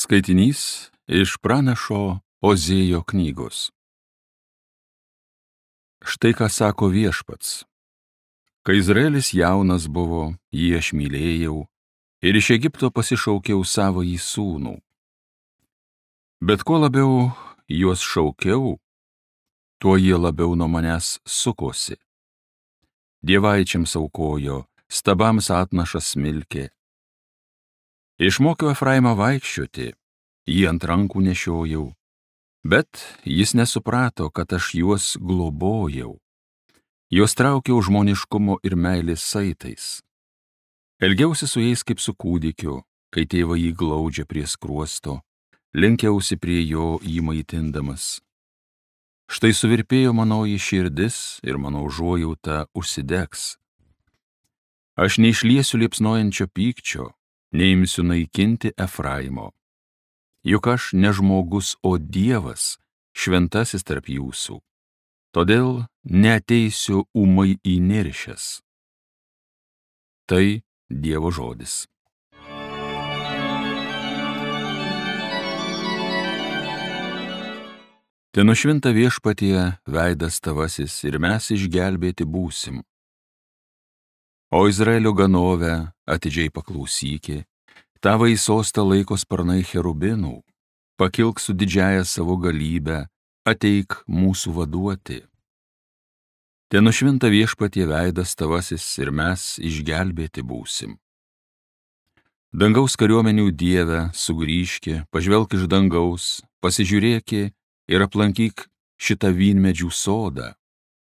Skaitinys iš pranašo Ozėjo knygos. Štai ką sako Viešpats. Kai Izraelis jaunas buvo, jį aš mylėjau ir iš Egipto pasišaukiau savąjį sūnų. Bet kuo labiau juos šaukiau, tuo jie labiau nuo manęs sukosi. Dievaičiams aukojo, stabams atnašas smilkė. Išmokiau Efraimą vaikščioti, jį ant rankų nešiojau, bet jis nesuprato, kad aš juos globojau. Juos traukiau žmoniškumo ir meilės saitais. Elgiausi su jais kaip su kūdikiu, kai tėvai jį glaudžia prie skruosto, lenkiausi prie jo jį maitindamas. Štai suvirpėjo manoji širdis ir mano užuojauta užsidegs. Aš neišliesiu liepsnojančio pykčio, neimsiu naikinti Efraimo. Juk aš ne žmogus, o Dievas, šventasis tarp jūsų. Todėl neateisiu ūmai įniršęs. Tai Dievo žodis. Te nušvinta Viešpatie veidas tavasis ir mes išgelbėti būsim. O Izraelio ganove atidžiai paklausyki, tavo į sostą laiko sparnai cherubinų, pakilk su didžiaja savo galybę, ateik mūsų vaduoti. Te nušvinta Viešpatie veidas tavasis ir mes išgelbėti būsim. Dangaus kariuomenių Dieve, sugrįžki, pažvelk iš dangaus, pasižiūrėki ir aplankyk šitą vynmedžių sodą,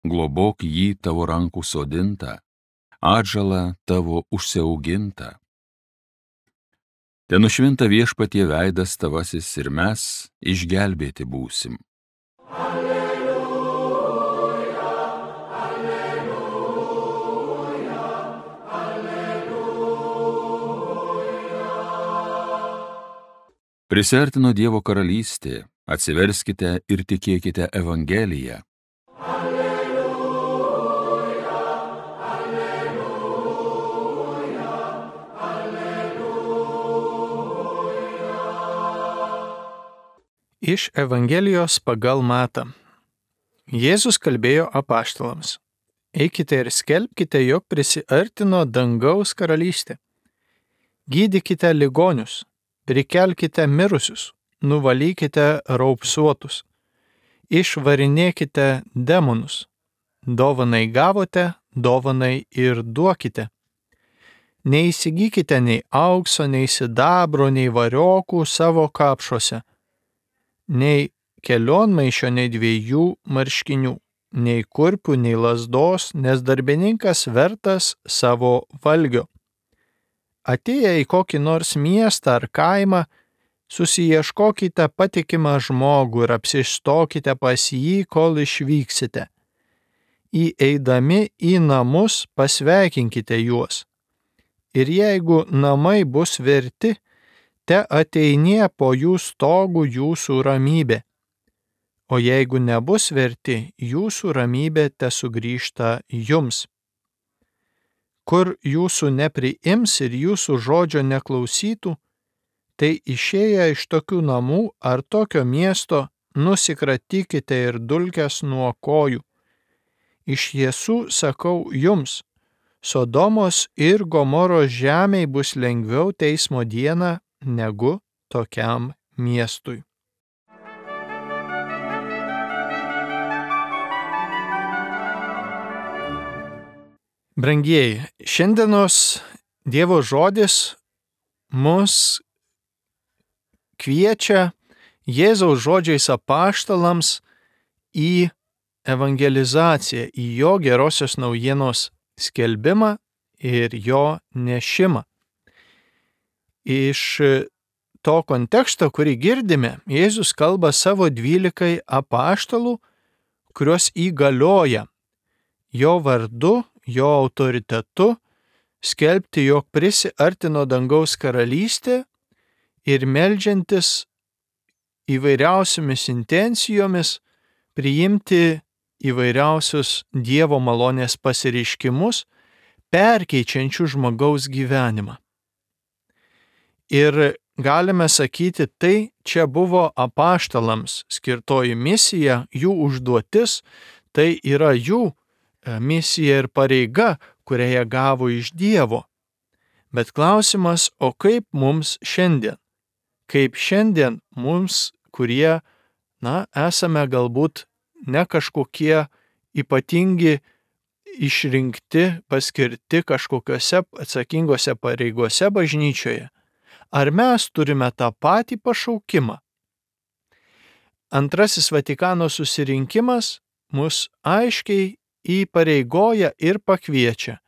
globok jį tavo rankų sodintą, atžalą tavo užsiaugintą. Te nušvinta Viešpatie veidas tavasis ir mes išgelbėti būsim. Alleluja, alleluja, alleluja. Prisiartino Dievo karalystė, atsiverskite ir tikėkite Evangeliją. Iš Evangelijos pagal Matą. Jėzus kalbėjo apaštalams. Eikite ir skelbkite, jog prisiartino dangaus karalystė. Gydykite ligonius, prikelkite mirusius, nuvalykite raupsuotus, išvarinėkite demonus. Dovanai gavote, dovanai ir duokite. Neįsigykite nei aukso, nei sidabro, nei variokų savo kapšuose, nei kelionmaišio, nei 2 marškinių, nei kurpių, nei lazdos, nes darbininkas vertas savo valgio. Atėję į kokį nors miestą ar kaimą, susiieškokite patikimą žmogų ir apsistokite pas jį, kol išvyksite. Įeidami į namus pasveikinkite juos. Ir jeigu namai bus verti, te ateinie po jų stogų jūsų ramybė. O jeigu nebus verti, jūsų ramybė te sugrįžta jums. Kur jūsų nepriims ir jūsų žodžio neklausytų, tai išėję iš tokių namų ar tokio miesto nusikratykite ir dulkes nuo kojų. Iš tiesų sakau jums, Sodomos ir Gomoros žemei bus lengviau teismo dieną negu tokiam miestui. Brangieji, šiandienos Dievo žodis mus kviečia Jėzaus žodžiais apaštalams į evangelizaciją, į jo gerosios naujienos skelbimą ir jo nešimą. Iš to konteksto, kurį girdime, Jėzus kalba savo 12 apaštalų, kuriuos įgalioja jo vardu, jo autoritetu skelbti, jog prisiartino dangaus karalystė ir meldžiantis įvairiausiomis intencijomis priimti įvairiausius Dievo malonės pasireiškimus, perkeičiančių žmogaus gyvenimą. Ir galime sakyti, tai čia buvo apaštalams skirtoji misija, jų užduotis, tai yra jų misija ir pareiga, kurią jie gavo iš Dievo. Bet klausimas, o kaip mums šiandien? Kaip šiandien mums, kurie, esame galbūt ne kažkokie ypatingi, išrinkti, paskirti kažkokiose atsakingose pareigose bažnyčioje, ar mes turime tą patį pašaukimą? Antrasis Vatikano susirinkimas mus aiškiai įpareigoja ir pakviečia.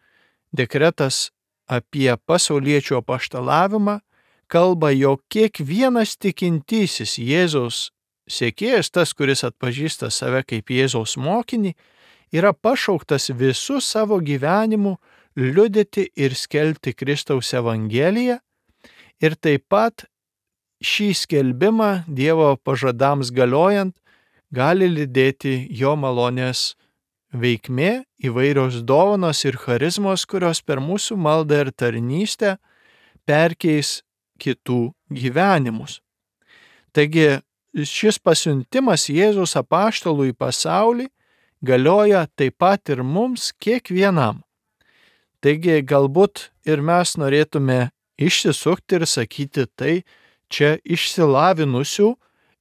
Dekretas apie pasauliečių apaštalavimą kalba, jog kiekvienas tikintysis Jėzaus sekėjas, tas, kuris atpažįsta save kaip Jėzaus mokinį, yra pašauktas visų savo gyvenimu liudyti ir skelbti Kristaus Evangeliją ir taip pat šį skelbimą Dievo pažadams galiojant gali lydėti jo malonės veikmė, įvairios dovanos ir charizmos, kurios per mūsų maldą ir tarnystę perkeis kitų gyvenimus. Taigi šis pasiuntimas Jėzaus apaštalų į pasaulį galioja taip pat ir mums kiekvienam. Taigi galbūt ir mes norėtume išsisukti ir sakyti, tai čia išsilavinusių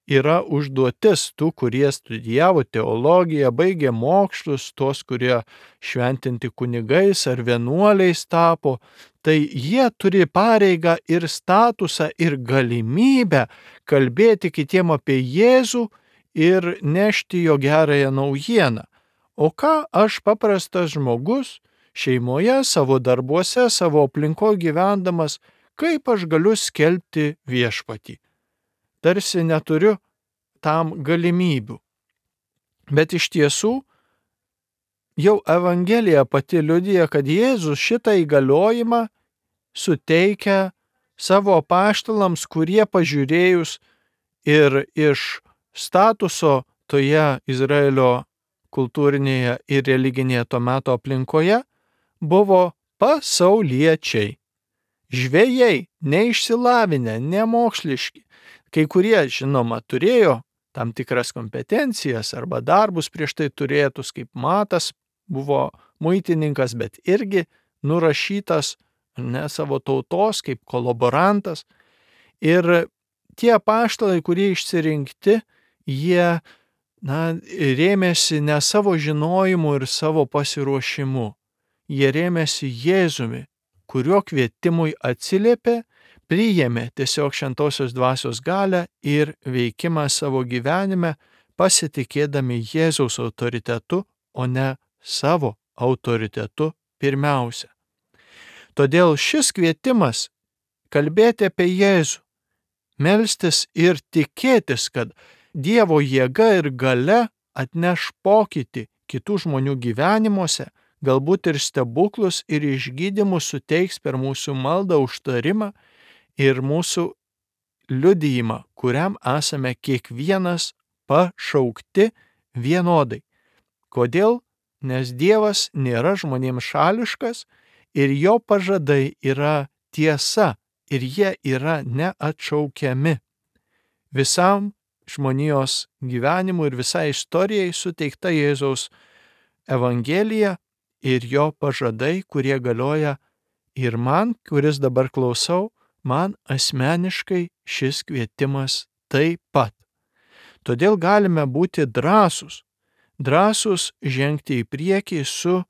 yra užduotis tų, kurie studijavo teologiją, baigė mokslus, tos, kurie šventinti kunigais ar vienuoliais tapo, tai jie turi pareigą ir statusą ir galimybę kalbėti kitiem apie Jėzų ir nešti jo gerąją naujieną. O ką aš paprastas žmogus šeimoje, savo darbuose, savo aplinkoje gyvendamas, kaip aš galiu skelbti viešpatį? Tarsi neturiu tam galimybių. Bet iš tiesų, jau Evangelija pati liudija, kad Jėzus šitą įgaliojimą suteikia savo apaštalams, kurie pažiūrėjus ir iš statuso toje Izraelio kultūrinėje ir religinėje to meto aplinkoje buvo pasauliečiai. Žvejai, neišsilavinę, nemoksliški. Kai kurie, žinoma, turėjo tam tikras kompetencijas arba darbus prieš tai turėtus, kaip Matas buvo muitininkas, bet irgi nurašytas ne savo tautos kaip kolaborantas. Ir tie apaštalai, kurie išsirinkti, jie rėmėsi ne savo žinojimu ir savo pasiruošimu. Jie rėmėsi Jėzumi, kurio kvietimui atsiliepė, priėmė tiesiog šventosios dvasios galią ir veikimą savo gyvenime, pasitikėdami Jėzaus autoritetu, o ne savo autoritetu pirmiausia. Todėl šis kvietimas kalbėti apie Jėzų, melstis ir tikėtis, kad Dievo jėga ir galia atneš pokytį kitų žmonių gyvenimuose, galbūt ir stebuklus ir išgydymus suteiks per mūsų maldą, užtarimą ir mūsų liudijimą, kuriam esame kiekvienas pašaukti vienodai. Kodėl? Nes Dievas nėra žmonėms šališkas ir jo pažadai yra tiesa ir jie yra neatšaukiami. Visam žmonijos gyvenimui ir visai istorijai suteikta Jėzaus Evangelija ir jo pažadai, kurie galioja ir man, kuris dabar klausau, man asmeniškai šis kvietimas taip pat. Todėl galime būti drąsūs žengti į priekį su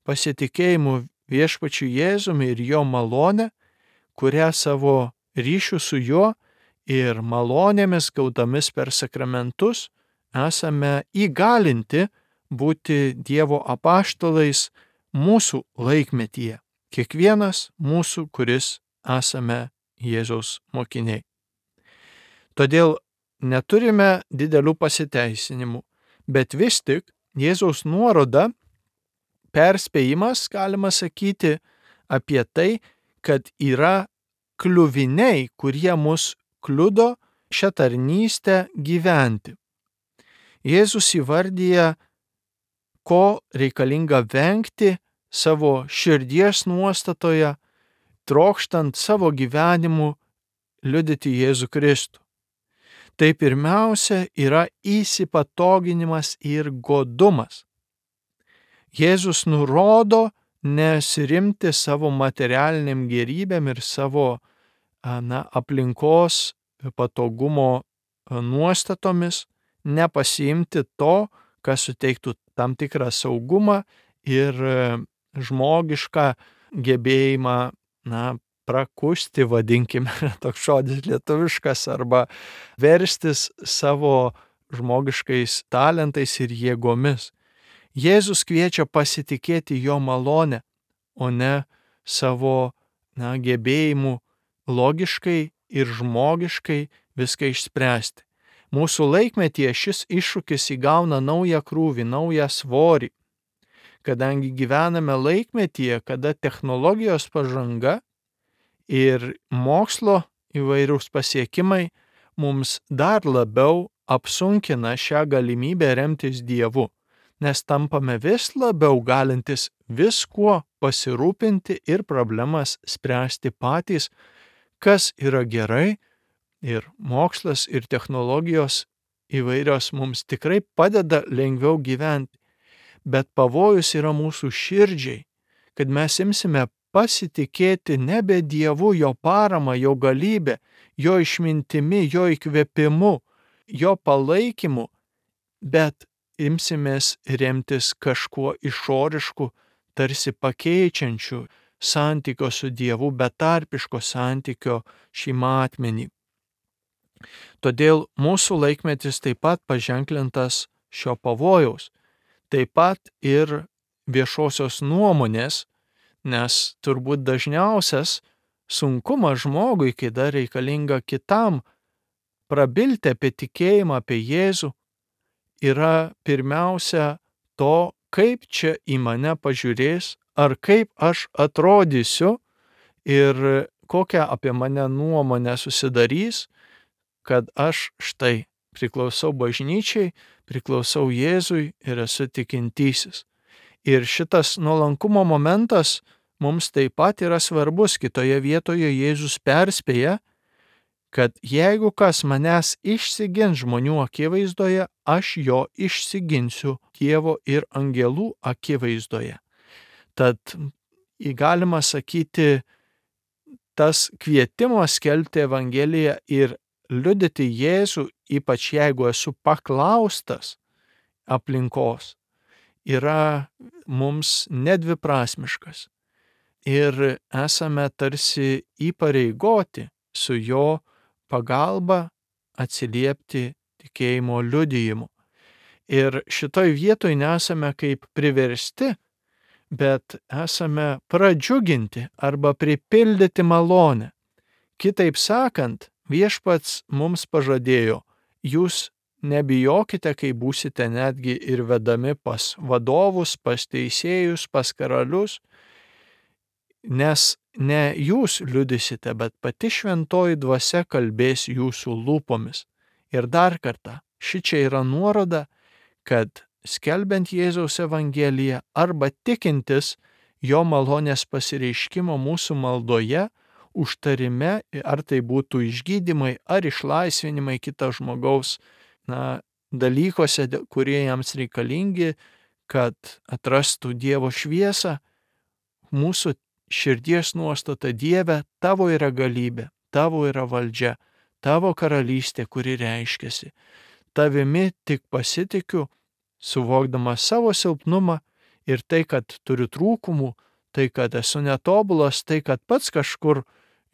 pasitikėjimu viešpačiu Jėzumi ir jo malone, kurią savo ryšių su juo ir malonėmis gautomis per sakramentus esame įgalinti būti Dievo apaštalais mūsų laikmetyje. Kiekvienas mūsų, kuris esame Jėzaus mokiniai. Todėl neturime didelių pasiteisinimų, bet vis tik Jėzaus nuoroda, perspėjimas, galima sakyti, apie tai, kad yra kliuviniai, kurie mus kliudo šią tarnystę gyventi. Jėzus įvardyja, ko reikalinga vengti savo širdies nuostatoje, trokštant savo gyvenimu liudyti Jėzų Kristų. Tai pirmiausia yra įsipatoginimas ir godumas. Jėzus nurodo nesirimti savo materialiniam gerybėm ir savo aplinkos patogumo nuostatomis, nepasiimti to, kas suteiktų tam tikrą saugumą ir žmogišką gebėjimą, prakusti, vadinkime, toks žodis lietuviškas, arba verstis savo žmogiškais talentais ir jėgomis. Jėzus kviečia pasitikėti jo malonę, o ne savo gebėjimu logiškai ir žmogiškai viską išspręsti. Mūsų laikmetyje šis iššūkis įgauna naują krūvį, naują svorį, kadangi gyvename laikmetyje, kada technologijos pažanga ir mokslo įvairūs pasiekimai mums dar labiau apsunkina šią galimybę remtis Dievu, nes tampame vis labiau galintis viskuo pasirūpinti ir problemas spręsti patys, kas yra gerai, ir mokslas ir technologijos įvairios mums tikrai padeda lengviau gyventi, bet pavojus yra mūsų širdžiai, kad mes imsime pasitikėti nebe Dievu, jo parama, jo galybė, jo išmintimi, jo įkvėpimu, jo palaikymu, bet imsimės remtis kažkuo išorišku, tarsi pakeičiančiu santykio su Dievu, betarpiško santykio šį matmenį. Todėl mūsų laikmetis taip pat paženklintas šio pavojaus, taip pat ir viešosios nuomonės, nes turbūt dažniausias sunkumas žmogui, kai dar reikalinga kitam prabilti apie tikėjimą, apie Jėzų, yra pirmiausia to, kaip čia į mane pažiūrės, ar kaip aš atrodysiu ir kokią apie mane nuomonę susidarys, kad aš štai priklausau bažnyčiai, priklausau Jėzui ir esu tikintysis. Ir šitas nuolankumo momentas mums taip pat yra svarbus. Kitoje vietoje Jėzus perspėja, kad jeigu kas manęs išsigins žmonių akivaizdoje, aš jo išsiginsiu Dievo ir angelų akivaizdoje. Tad galima sakyti, tas kvietimas skelbti Evangeliją ir liudyti Jėzų, ypač jeigu esu paklaustas aplinkos, yra mums nedviprasmiškas. Ir esame tarsi įpareigoti su jo pagalba atsiliepti tikėjimo liudijimu. Ir šitoj vietoj nesame kaip priversti, bet esame pradžiuginti arba pripildyti malonę. Kitaip sakant, Viešpats mums pažadėjo, jūs nebijokite, kai būsite netgi ir vedami pas vadovus, pas teisėjus, pas karalius, nes ne jūs liudysite, bet pati šventoji dvasia kalbės jūsų lūpomis. Ir dar kartą, šičia yra nuoroda, kad skelbiant Jėzaus Evangeliją arba tikintis jo malonės pasireiškimo mūsų maldoje, užtarime, ar tai būtų išgydymai, ar išlaisvinimai kito žmogaus dalykuose, kurie jiems reikalingi, kad atrastų Dievo šviesą, mūsų širdies nuostata: Dieve, tavo yra galybė, tavo yra valdžia, tavo karalystė, kuri reiškiasi. Tavimi tik pasitikiu, suvokdamas savo silpnumą ir tai, kad turiu trūkumų, tai, kad esu netobulas, tai, kad pats kažkur,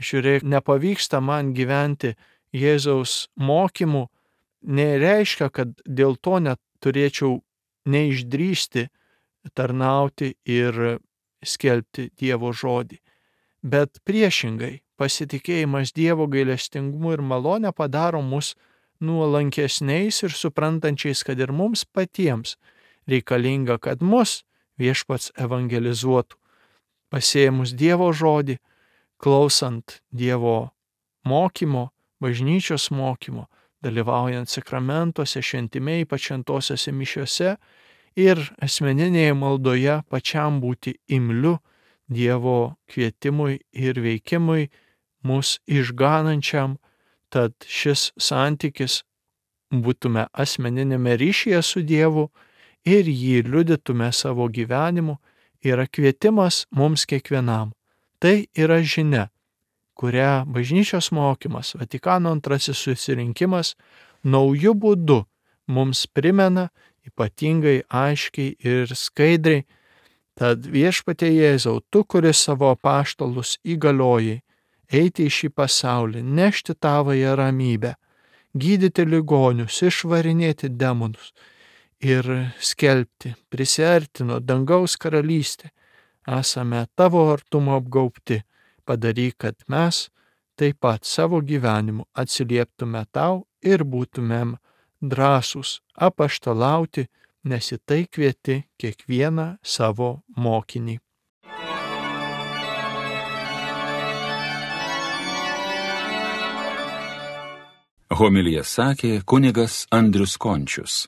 žiūrėk, nepavyksta man gyventi Jėzaus mokymu, nereiškia, kad dėl to neturėčiau neišdrįsti tarnauti ir skelbti Dievo žodį. Bet priešingai, pasitikėjimas Dievo gailestingumu ir malone padaro mus nuolankesniais ir suprantančiais, kad ir mums patiems reikalinga, kad mus Viešpats evangelizuotų, pasėmus Dievo žodį, klausant Dievo mokymo, bažnyčios mokymo, dalyvaujant sakramentuose, šventime, ypač šventosiose mišiose ir asmeninėje maldoje pačiam būti imliu Dievo kvietimui ir veikimui mus išganančiam, tad šis santykis būtume asmeninėme ryšyje su Dievu ir jį liudytume savo gyvenimu, yra kvietimas mums kiekvienam. Tai yra žinia, kurią bažnyčios mokymas, Vatikano II susirinkimas naujų būdų mums primena ypatingai aiškiai ir skaidriai. Tad Viešpatie Jėzau, tu, kuris savo apaštalus įgaliojai eiti į šį pasaulį, nešti tavąją ramybę, gydyti ligonius, išvarinėti demonus ir skelbti, prisiartino dangaus karalystė, esame tavo artumo apgaubti. Padaryk, kad mes taip pat savo gyvenimu atsilieptume tau ir būtumėm drąsūs apaštalauti, nes į tai kvieti kiekvieną savo mokinį. Homiliją sakė kunigas Andrius Končius.